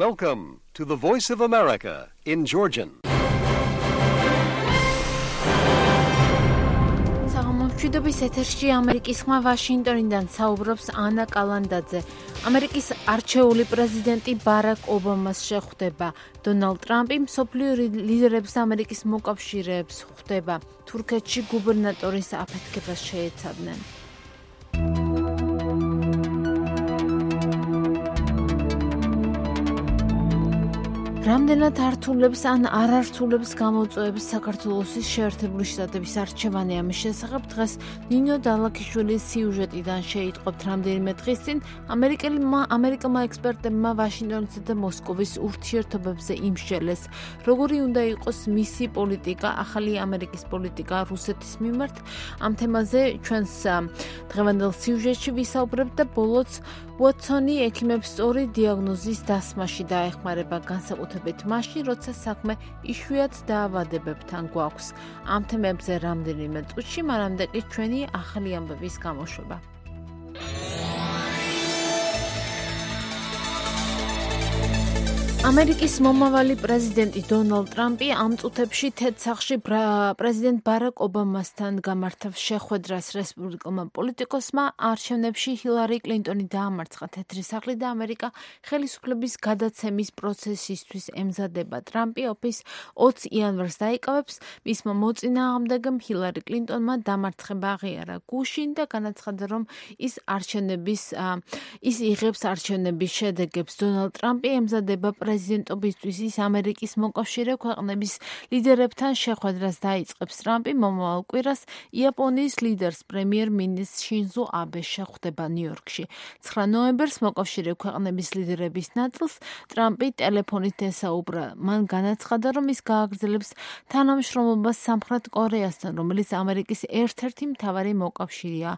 Welcome to the Voice of America in Georgian. მშვიდობის ეთერში ამერიკის ხმა ვაშინგტონიდან საუბრობს ანა კალანდაძე. ამერიკის არჩეული პრეზიდენტი ბარაკ ობამას შეხვდება. დონალდ ტრამპი მსოფლიო ლიდერებს ამერიკის მოკავშირეებს ხვდება. თურქეთში გუბერნატორის აფეთქებას შეეცადნენ. რამდენად ართულებს ან არ ართულებს გამოწვევებს საქართველოს შეერთებული შტატების არჩევანი ამის შესახებ დღეს ნინო დალაქიშვილის სიუჟეტიდან შეიტყობთ რამდენიმე დღის წინ ამერიკელმა ექსპერტებმა ვაშინგტონისა და მოსკოვის ურთიერთობებზე იმსჯელეს როგორი უნდა იყოს მისი პოლიტიკა ახალი ამერიკის პოლიტიკა რუსეთის მიმართ ამ თემაზე ჩვენს დღევანდელ სიუჟეტში ვისაუბრებთ და ბოლოს უოტსონი ექიმებს სწორი დიაგნოზის დასმაში დაეხმარება განსაკუთრებით მაშინ, როცა საქმე იშვიათ დაავადებებთან გვაქვს. ამ თემებზე რამდენიმე წუთში, მანამდე კი ჩვენი ახალი ამბების გამოშვება. ამერიკის მომავალი პრეზიდენტი დონალდ ტრამპი ამ წუთებში თეთრ-სახლში პრეზიდენტ ბარაკ ობამასთან გამართავს შეხვედრას რესპუბლიკელმა პოლიტიკოსმა არჩევნებში ჰილარი კლინტონი დაამარცხა თეთრი სახლი და ამერიკა ხელისუფლების გადაცემის პროცესისთვის ემზადება. ტრამპი ოფის 20 იანვარს დაიკავებს, მისმა მოწინააღმდეგემ ჰილარი კლინტონმა დამარცხება აღიარა გუშინ და განაცხადა, რომ ის იღებს არჩევნების შედეგებს. დონალდ ტრამპი ემზადება პრეზიდენტობისთვის ის ამერიკის მოკავშირე ქვეყნების ლიდერებთან შეხვედრას დაიწყებს. ტრამპი მომავალ კვირას იაპონიის ლიდერს პრემიერ-მინისტრ შინზო აბეს შეხვდება ნიუ-იორკში. 9 ნოემბერს მოკავშირე ქვეყნების ლიდერების ნაწილს ტრამპი ტელეფონით ესაუბრა. მან განაცხადა, რომ ის გააგრძელებს თანამშრომლობას სამხრეთ კორეასთან, რომელიც ამერიკის ერთ-ერთი მთავარი მოკავშირეა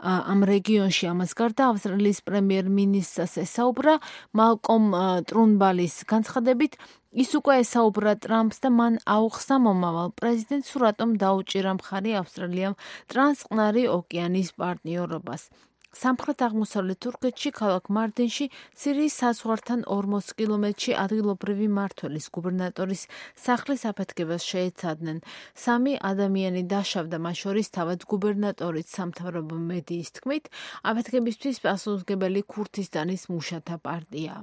ამ რეგიონში. ამას გარდა ავსტრალიის პრემიერ-მინისტრს ესაუბრა მალკომ ტრუნბალის განცხადებით ის უკვე ესაუბრა ტრამპს და მან აუხსნა მომავალ პრეზიდენტს, რატომ დაუჭირა მხარი ავსტრალიამ ტრანსწყნარი ოკეანის პარტნიორობას. სამხრეთ-აღმოსავლეთ თურქეთში ქალაქ მარდინში სირიის საზღვართან 40 კილომეტრში ადგილობრივი მმართველის გუბერნატორის სახლის აფეთქებას შეეცადნენ. 3 ადამიანი დაშავდა, მათ შორის თავად გუბერნატორიც სამთავრობო მედიის თქმით, აფეთქებისთვის პასუხისმგებელი ქურთისტანის მუშათა პარტიაა.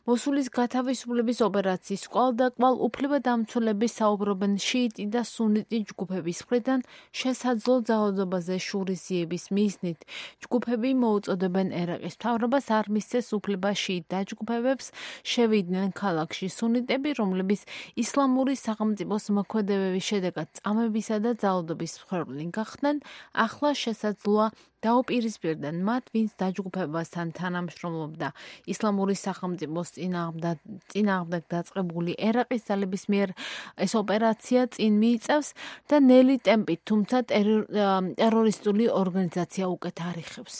მოსულის გათავისუფლების ოპერაციის კვალდაკვალ უფლებადამცველები საუბრობენ შიიტი და სუნიტი ჯგუფების მხრიდან შესაძლო ძალადობაზე შურისძიების მიზნით. ჯგუფები მოუწოდებენ ერაყის მთავრობას არ მისცეს უფლება შიიტ დაჯგუფებებს შევიდნენ ქალაქში. სუნიტები, რომლებიც ისლამური სახელმწიფოს მოქმედებების შედეგად წამებისა და ძალადობის მსხვერპლი გახდნენ, ახლა შესაძლოა დაუპირისპირდნენ მათ, ვინც დაჯგუფებასთან თანამშრომლობდა. ისლამური სახელმწიფოს წინააღმდეგ დაწყებული ერაყის ძალების მიერ ეს ოპერაცია წინ მიიწევს და ნელი ტემპით, თუმცა ტერორისტული ორგანიზაცია უკეთ არ იხევს.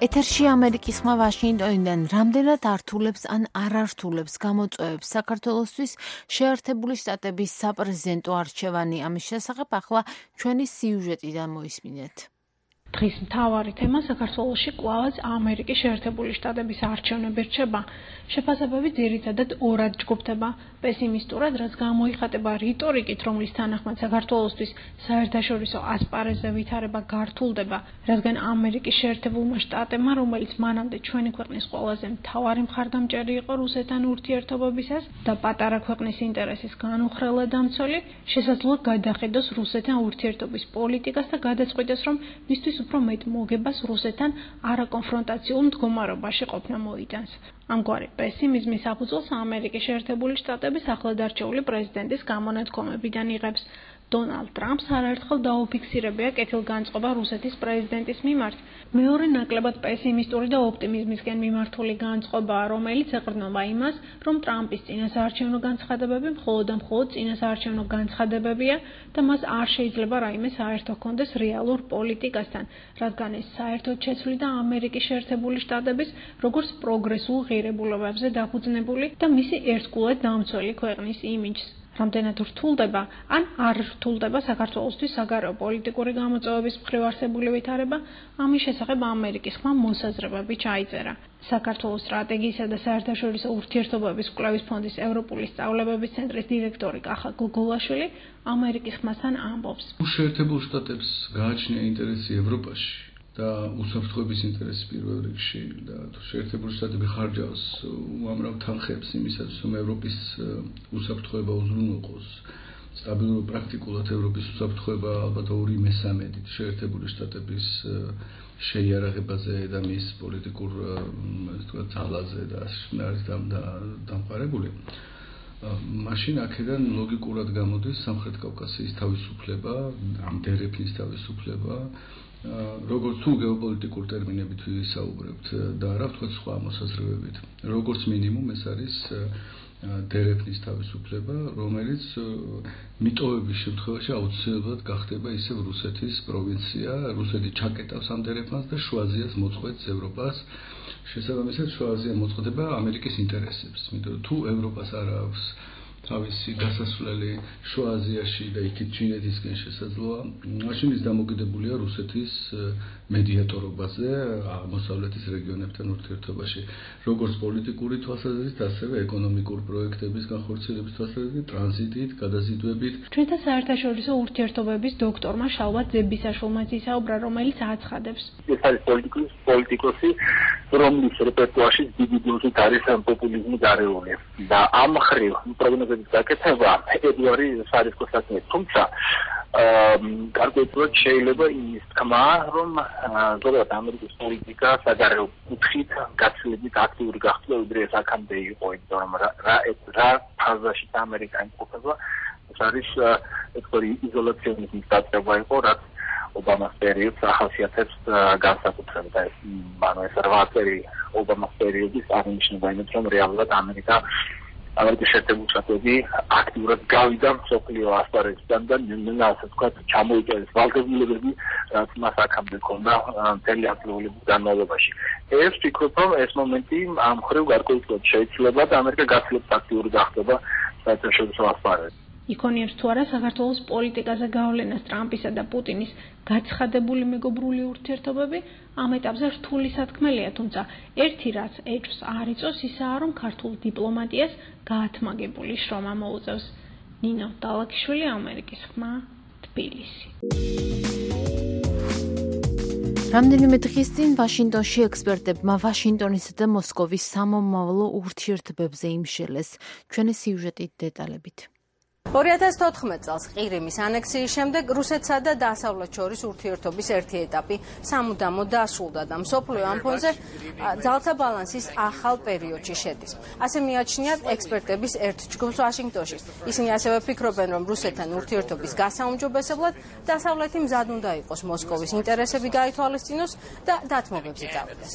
ეთერში ამერიკის ხმა ვაშინგტონიდან რამდენად ართულებს ან არ ართულებს გამოწვევებს საქართველოსთვის შეერთებული შტატების საპრეზიდენტო არჩევანი. ამის შესახებ ახლა ჩვენი სიუჟეტიდან მოისმინეთ. დღის მთავარი თემა საქართველოში კვლავაც ამერიკის შეერთებული შტატების არჩევნები რჩება. შეფასებები ძირითადად ორად ჯგუფდება. პესიმისტურად, რაც გამოიხატება რიტორიკით, რომლის თანახმად საქართველოსთვის საერთაშორისო ასპარეზზე ვითარება გართულდება, რადგან ამერიკის შეერთებულმა შტატებმა, რომელიც მანამდე ჩვენი ქვეყნის ყველაზე მთავარი მხარდამჭერი იყო რუსეთთან ურთიერთობებისას და პატარა ქვეყნის ინტერესის განუხრელად დამცველი, შესაძლოა გადახედოს რუსეთთან ურთიერთობის პოლიტიკას და გადაწყვიტოს, რომ მისთვის უფრო მეტ მოგებას რუსეთთან არაკონფრონტაციულ მდგომარეობაში ყოფნა მოიტანს. ამგვარი პესიმიზმის საფუძველს ამერიკის შეერთებული შტატების ახლადარჩეული პრეზიდენტის გამონათქვამებიდან იღებს. დონალდ ტრამპს არაერთხელ დაუფიქსირებია კეთილგანწყობა რუსეთის პრეზიდენტის მიმართ. მეორე ნაკლებად პესიმისტური და ოპტიმიზმისკენ მიმართული განწყობაა, რომელიც ეყრდნობა იმას, რომ ტრამპის წინასაარჩევნო განცხადებები მხოლოდ და მხოლოდ წინასაარჩევნო განცხადებებია და მას არ შეიძლება რაიმე საერთო ჰქონდეს რეალურ პოლიტიკასთან, რადგან ეს საერთოდ შეცვლიდა ამერიკის შეერთებული შტატების როგორც პროგრესულ ღირებულებებზე დაფუძნებული და მისი ერთგულად დამცველი ქვეყნის იმიჯს. რამდენად რთულდება, ან არ რთულდება საქართველოსთვის საგარეო პოლიტიკური გამოწვევების მხრივ არსებული ვითარება, ამის შესახებ ამერიკის ხმა მოსაზრებები ჩაიწერა. საქართველოს სტრატეგიისა და საერთაშორისო ურთიერთობების კვლევის ფონდის ევროპული სწავლებების ცენტრის დირექტორი კახა გოგოლაშვილი ამერიკის ხმასთან ამბობს. შეერთებულ შტატებს გააჩნია ინტერესი ევროპაში და უსაფრთხოების ინტერესი პირველ რიგში და შეერთებული შტატები ხარჯავს უამრავ თანხებს იმისათვის, რომ ევროპის უსაფრთხოება უზრუნველყოს. სტაბილური პრაქტიკულად ევროპის უსაფრთხოება ალბათ 2/3 შეერთებული შტატების შეიარაღებაზე და მის პოლიტიკურ ძალაზე და არის დამყარებული. მაშინ აქედან ლოგიკურად გამოდის სამხრეთ კავკასიის თავისუფლება, დერეფნის თავისუფლება, როგორც თუ გეოპოლიტიკურ ტერმინებით ვისაუბრებთ და რა ვთქვათ სხვა მოსაზრებებით. როგორც მინიმუმ ეს არის დერეფნის თავისუფლება, რომელიც მიტოვების შემთხვევაში აუცილებლად გახდება ისევ რუსეთის პროვინცია, რუსეთი ჩაკეტავს ამ დერეფნას და შუა აზიას მოწყვეტს ევროპას. შესაბამისად, შუა აზია მოწყვეტება ამერიკის ინტერესებს. იმიტომ თუ ევროპას არ აქვს თავისი გასასვლელი შუა აზიაში და იქით ჩინეთისკენ შესაძლოა, მაშინ ის დამოკიდებულია რუსეთის მედიატორობაზე აღმოსავლეთის რეგიონებთან ურთიერთობაში, როგორც პოლიტიკური თვალსაზრისით, ასევე ეკონომიკურ პროექტების განხორციელების თვალსაზრისით, ტრანზიტით, გადაზიდვებით. ჩვენთან საერთაშორისო ურთიერთობების დოქტორმა შალვა ძებისაშვილმა ისაუბრა, რომელიც აცხადებს. ეს არის პოლიტიკოსი, რომლის რეპერტუარში დიდი დოზით არის პოპულიზმი გარეული და ამ მხრივ პროგნოზების გაკეთება ედუარი სარისკოსაკმე, თუმცა გარკვეულად შეიძლება იმის თქმა, რომ ზოგადად ამერიკის პოლიტიკა საგარეო კუთხით გაცილებით აქტიური გახდა, ვიდრე ეს აქამდე იყო, იმიტომ რომ რა ფაზაში ამერიკა იმყოფება, ეს არის ეკვარი იზოლაციონიზმის დაწყება იყო, რაც ობამას პერიოდს ახასიათებს განსაკუთრებით. ეს 8 წელი ობამას პერიოდის აღნიშნება იმით, რომ რეალურად ამერიკის შეერთებული შტატები აქტიურად გავიდა მსოფლიო ასპარეზიდან და ასე ვთქვათ, ჩამოიჭერეს ვალდებულებები, რაც მას აქამდე ჰქონდა მთელი ათწლეულების განმავლობაში. ეს ვფიქრობ, რომ ეს მომენტი ამ მხრივ გარკვეულად შეიძლება და ამერიკა გაცილებით აქტიური გახდება საერთაშორისო ასპარეზზე. იქონიებს თუ არა საქართველოს პოლიტიკაზე გავლენას ტრამპისა და პუტინის გაცხადებული მეგობრული ურთიერთობები, ამ ეტაპზე რთული სათქმელია, თუმცა ერთი რაც ეჭვს არ იწვევს, ისაა, რომ ქართულ დიპლომატიას გაათმაგებული შრომა მოუწევს. ნინო დალაქიშვილი, ამერიკის ხმა, თბილისი. რამდენიმე დღის წინ ვაშინგტონში ექსპერტებმა ვაშინგტონისა და მოსკოვის სამომავლო ურთიერთობებზე იმშელეს. ჩვენი სიუჟეტით დეტალებით. 2014 წელს ყირიმის ანექსიის შემდეგ რუსეთსა და დასავლეთ შორის ურთიერთობის ერთი ეტაპი სამუდამოდ დასრულდა და მსოფლიო ამ ფონზე ძალთა ბალანსის ახალ პერიოდში შედის. ასე მიაჩნიათ ექსპერტების ერთ ჯგუფს ვაშინგტონში. ისინი ასევე ფიქრობენ, რომ რუსეთთან ურთიერთობის გასაუმჯობესებლად დასავლეთი მზად უნდა იყოს მოსკოვის ინტერესები გაითვალისწინოს და დათმობებს იწავდეს.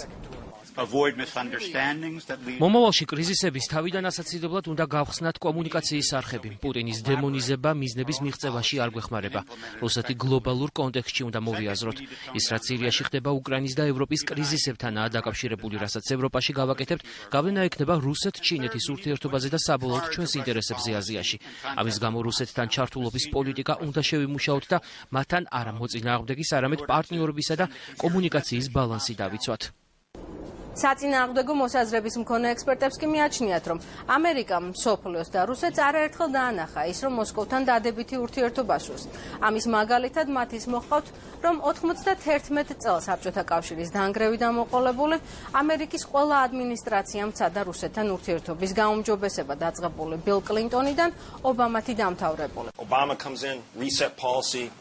მომავალში კრიზისების თავიდან ასაცილებლად უნდა გავხსნათ კომუნიკაციის არხები. პუტინის დემონიზება მიზნების მიღწევაში არ გვეხმარება. რუსეთი გლობალურ კონტექსტში უნდა მოვიაზროთ. ის რაც სირიაში ხდება უკრაინის და ევროპის კრიზისებთანაა დაკავშირებული, რასაც ევროპაში გავაკეთებთ, გავლენა ექნება რუსეთ-ჩინეთის ურთიერთობაზე და საბოლოოდ ჩვენს ინტერესებზე აზიაში. ამის გამო რუსეთთან ჩართულობის პოლიტიკა უნდა შევიმუშაოთ და მათთან არა მოწინააღმდეგის, არამედ პარტნიორობისა და კომუნიკაციის ბალანსი დავიცვათ. საწინააღმდეგო მოსაზრების მქონე ექსპერტებს კი მიაჩნიათ, რომ ამერიკამ მსოფლიოს და რუსეთს არაერთხელ დაანახა ის, რომ მოსკოვთან დადებითი ურთიერთობა სურს. ამის მაგალითად მათ ის მოჰყავთ, რომ 91 წელს საბჭოთა კავშირის დანგრევი დამოყოლებული ამერიკის ყველა ადმინისტრაციამ ცადა რუსეთთან ურთიერთობის გაუმჯობესება დაწყებული ბილ კლინტონიდან ობამათი დამთავრებული.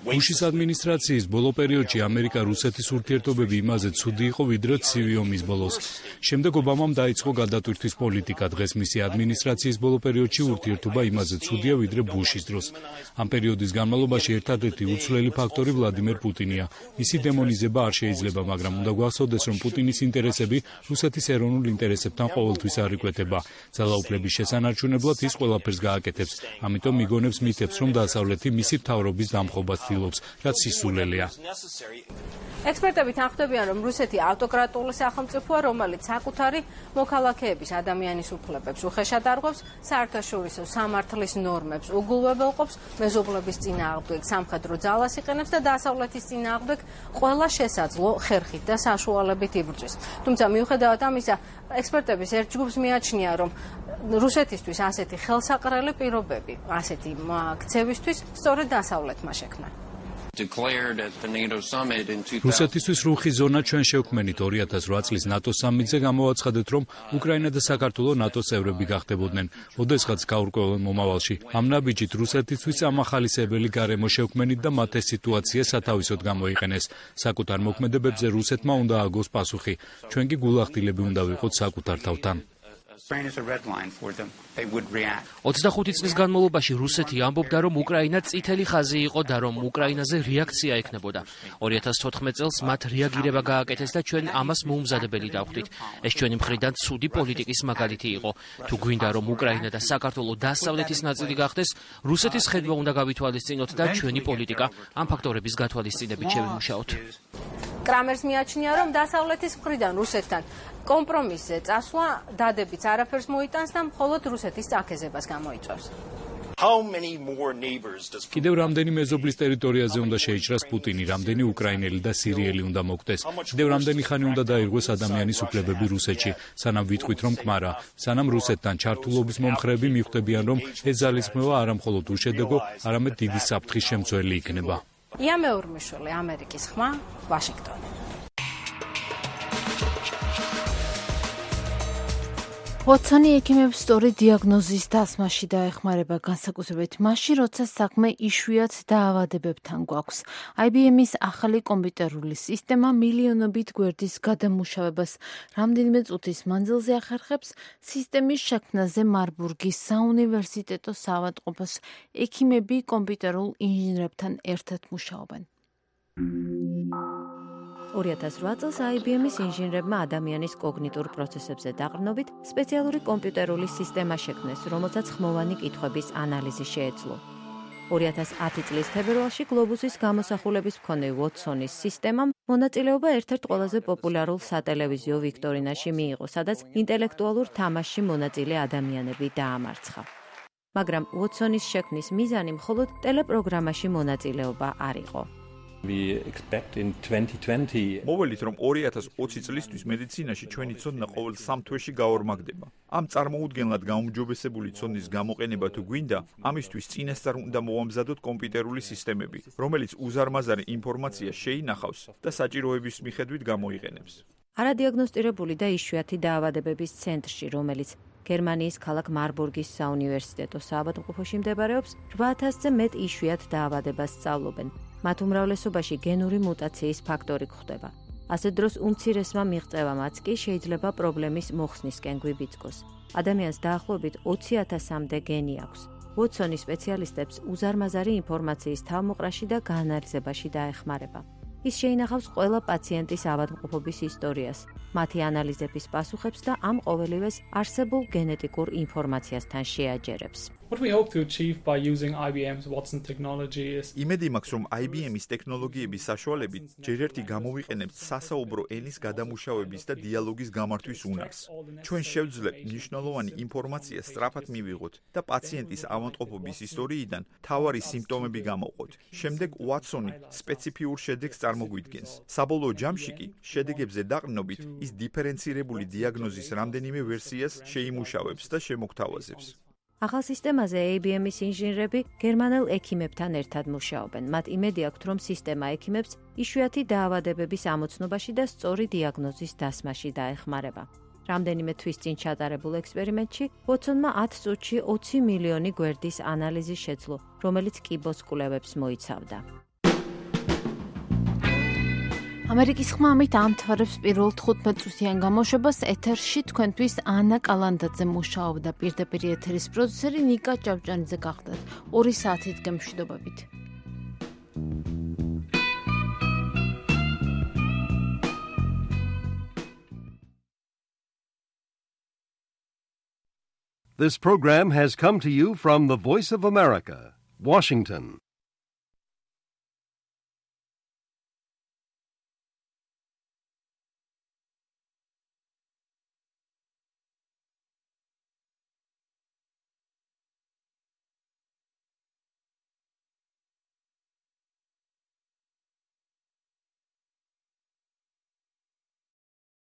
ბუშის ადმინისტრაციის ბოლო პერიოდში ამერიკა-რუსეთის ურთიერთობები იმაზე ცუდი იყო, ვიდრე ცივი ომის ბოლოს. შემდეგ ობამამ დაიწყო გადატვირთვის პოლიტიკა. დღეს მისი ადმინისტრაციის ბოლო პერიოდში ურთიერთობა იმაზე ცუდია, ვიდრე ბუშის დროს. ამ პერიოდის განმავლობაში ერთადერთი უცვლელი ფაქტორი ვლადიმერ პუტინია. მისი დემონიზება არ შეიძლება, მაგრამ უნდა გვახსოვდეს, რომ პუტინის ინტერესები რუსეთის ეროვნულ ინტერესებთან ყოველთვის არ იკვეთება. ძალაუფლების შესანარჩუნებლად ის ყველაფერს გააკეთებს. ამიტომ მიგონებს მითებს, რომ დასავლეთი მისი მთავრობის დამხობას ცდილობს, რაც სისულელეა. ექსპერტები თანხმდებიან, რომ რუსეთი ავტოკრატიული სახელმწიფოა, რომელიც საკუთარი მოქალაქეების ადამიანის უფლებებს უხეშად არღვევს, საერთაშორისო სამართლის ნორმებს უგულვებელყოფს, მეზობლების წინააღმდეგ სამხედრო ძალას იყენებს და დასავლეთის წინააღმდეგ ყველა შესაძლო ხერხით და საშუალებით იბრძვის. თუმცა მიუხედავად ამისა, ექსპერტების ერთ ჯგუფს მიაჩნია, რომ რუსეთისთვის ასეთი ხელსაყრელი პირობები, ასეთი ქცევისთვის სწორედ დასავლეთმა შექმნა. რუსეთისთვის რუხი ზონა ჩვენ შევქმნით 2008 წლის ნატოს სამიტზე გამოვაცხადეთ, რომ უკრაინა და საქართველო ნატოს წევრები გახდებოდნენ. ოდესღაც გაურკვეველ მომავალში. ამ ნაბიჯით რუსეთისთვის ამახალისებელი გარემო შევქმნით და მათ ეს სიტუაცია სათავისოდ გამოიყენეს. საკუთარ მოქმედებებზე რუსეთმა უნდა აგოს პასუხი. ჩვენ კი გულახდილები უნდა ვიყოთ საკუთარ თავთან. 25 წლის განმავლობაში რუსეთი ამბობდა, რომ უკრაინა წითელი ხაზი იყო და რომ უკრაინაზე რეაქცია ექნებოდა. 2014 წელს მათ რეაგირება გააკეთეს და ჩვენ ამას მოუმზადებელი დავხვდით. ეს ჩვენი მხრიდან ცუდი პოლიტიკის მაგალითი იყო. თუ გვინდა, რომ უკრაინა და საქართველო დასავლეთის ნაწილი გახდეს, რუსეთის ხედვა უნდა გავითვალისწინოთ და ჩვენი პოლიტიკა ამ ფაქტორების გათვალისწინებით შევიმუშაოთ. კრამერს მიაჩნია, რომ დასავლეთის მხრიდან რუსეთთან კომპრომისზე წასვლა დადებიც არაფერს მოიტანს და მხოლოდ რუსეთის წაქეზებას გამოიწვევს. კიდევ რამდენი მეზობლის ტერიტორიაზე უნდა შეიჭრას პუტინი, რამდენი უკრაინელი და სირიელი უნდა მოკვდეს, კიდევ რამდენი ხანი უნდა დაირღვეს ადამიანის უფლებები რუსეთში, სანამ ვიტყვით, რომ კმარა, სანამ რუსეთთან ჩართულობის მომხრეები მიხვდებიან, რომ ეს ძალისხმევა არა მხოლოდ უშედეგო, არამედ დიდი საფრთხის შემცველი იქნება. ია მეორმიშვილი, ამერიკის ხმა, ვაშინგტონი. ვოტსონი ექიმებს სწორი დიაგნოზის დასმაში დაეხმარება განსაკუთრებით მაშინ, როცა საქმე იშვიათ დაავადებებთან გვაქვს. IBM-ის ახალი კომპიუტერული სისტემა მილიონობით გვერდის გადამუშავებას რამდენიმე წუთის მანძილზე ახერხებს. სისტემის შექმნაზე მარბურგის საუნივერსიტეტო საავადმყოფოს ექიმები კომპიუტერულ ინჟინერებთან ერთად მუშაობენ. 2008 წელს IBM-ის ინჟინერებმა ადამიანის კოგნიტურ პროცესებზე დაყრდნობით სპეციალური კომპიუტერული სისტემა შექმნეს, რომელსაც ხმოვანი კითხვების ანალიზი შეეძლო. 2010 წლის თებერვალში გლობუსის გამოსახულების მქონე ვოტსონის სისტემამ მონაწილეობა ერთ-ერთ ყველაზე პოპულარულ სატელევიზიო ვიქტორინაში მიიღო, სადაც ინტელექტუალურ თამაშში მონაწილე ადამიანები დაამარცხა. მაგრამ ვოტსონის შექმნის მიზანი მხოლოდ ტელეპროგრამაში მონაწილეობა არ იყო. მოველით, რომ 2020 წლისთვის მედიცინაში ჩვენი ცოდნა ყოველ 3 თვეში გაორმაგდება. ამ წარმოუდგენლად გაუმჯობესებული ცოდნის გამოყენება თუ გვინდა, ამისთვის წინასწარ უნდა მოვამზადოთ კომპიუტერული სისტემები, რომელიც უზარმაზარი ინფორმაცია შეინახავს და საჭიროების მიხედვით გამოიყენებს. არადიაგნოსტირებული და იშვიათი დაავადებების ცენტრში, რომელიც გერმანიის ქალაქ მარბურგის საუნივერსიტეტო საავადმყოფოში მდებარეობს, 8000-ზე მეტ იშვიათ დაავადებას სწავლობენ. მათ უმრავლესობაში გენური მუტაციის ფაქტორი გვხვდება. ასე დროს უმცირესმა მიღწევამაც კი შეიძლება პრობლემის მოხსნისკენ გვიბიძგოს. ადამიანს დაახლოებით 20,000-მდე გენი აქვს. ვოტსონი სპეციალისტებს უზარმაზარი ინფორმაციის თავმოყრაში და გაანალიზებაში დაეხმარება. ის შეინახავს ყველა პაციენტის ავადმყოფობის ისტორიას, მათი ანალიზების პასუხებს და ამ ყოველივეს არსებულ გენეტიკურ ინფორმაციასთან შეაჯერებს. იმედი მაქვს, რომ IBM-ის ტექნოლოგიების საშუალებით ჯერ ერთი გამოვიყენებთ სასაუბრო ენის გადამუშავების და დიალოგის გამართვის უნარს. ჩვენ შევძლებთ მნიშვნელოვანი ინფორმაცია სწრაფად მივიღოთ და პაციენტის ავადმყოფობის ისტორიიდან მთავარი სიმპტომები გამოვყოთ. შემდეგ ვატსონი სპეციფიურ შედეგს წარმოგვიდგენს. საბოლოო ჯამში კი შედეგებზე დაყრდნობით ის დიფერენცირებული დიაგნოზის რამდენიმე ვერსიას შეიმუშავებს და შემოგთავაზებს. ახალ სისტემაზე IBM-ის ინჟინერები გერმანელ ექიმებთან ერთად მუშაობენ. მათ იმედი აქვთ, რომ სისტემა ექიმებს იშვიათი დაავადებების ამოცნობაში და სწორი დიაგნოზის დასმაში დაეხმარება. რამდენიმე თვის წინ ჩატარებულ ექსპერიმენტში ვოტსონმა 10 წუთში 20 მილიონი გვერდის ანალიზი შეძლო, რომელიც კიბოს კვლევებს მოიცავდა. ამერიკის ხმა ამით ამთავრებს პირველ 15 წუთიან გამოშვებას. ეთერში თქვენთვის ანა კალანდაძე მუშაობდა, პირდაპირ ეთერის პროდიუსერი ნიკა ჭავჭანიძე გახდათ. 2 საათით გემშვიდობებით. This program has come to you from the Voice of America, Washington.